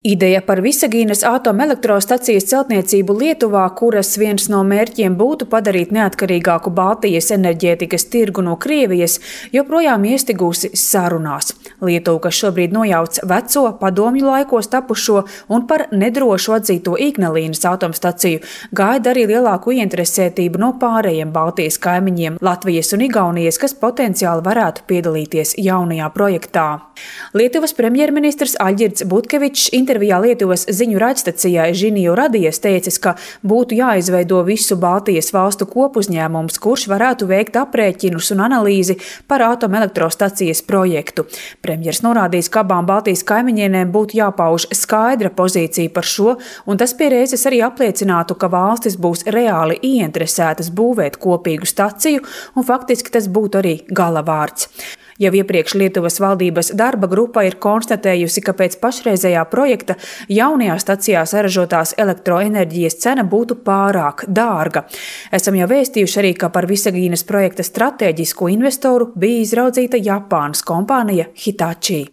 Ideja par Visagīnas atomelektrostacijas celtniecību Lietuvā, kuras viens no mērķiem būtu padarīt neatkarīgāku Baltijas enerģētikas tirgu no Krievijas, joprojām iestigusi sarunās. Lietuva, kas šobrīd nojauc veco, padomju laikos tapušo un par nedrošu atzīto Ignalīnas atomstaciju, gaida arī lielāku ieinteresētību no pārējiem Baltijas kaimiņiem Latvijas un Igaunijas, kas potenciāli varētu piedalīties jaunajā projektā. Lietuvas premjerministrs Aļģirds Butkevičs intervijā Lietuvas ziņu raidstacijai Žiniju Radijas teicis, ka būtu jāizveido visu Baltijas valstu kopuzņēmums, kurš varētu veikt aprēķinus un analīzi par atomelektrostacijas projektu. Premjers norādījis, ka abām Baltijas kaimiņienēm būtu jāpauž skaidra pozīcija par šo, un tas pie reizes arī apliecinātu, ka valstis būs reāli ieinteresētas būvēt kopīgu staciju, un faktiski tas būtu arī galavārds. Jau iepriekš Lietuvas valdības darba grupa ir konstatējusi, ka pēc pašreizējā projekta jaunajā stacijā saražotās elektroenerģijas cena būtu pārāk dārga. Esam jau vēstījuši arī, ka par Visagīnas projekta stratēģisko investoru bija izraudzīta Japānas kompānija Hitachi.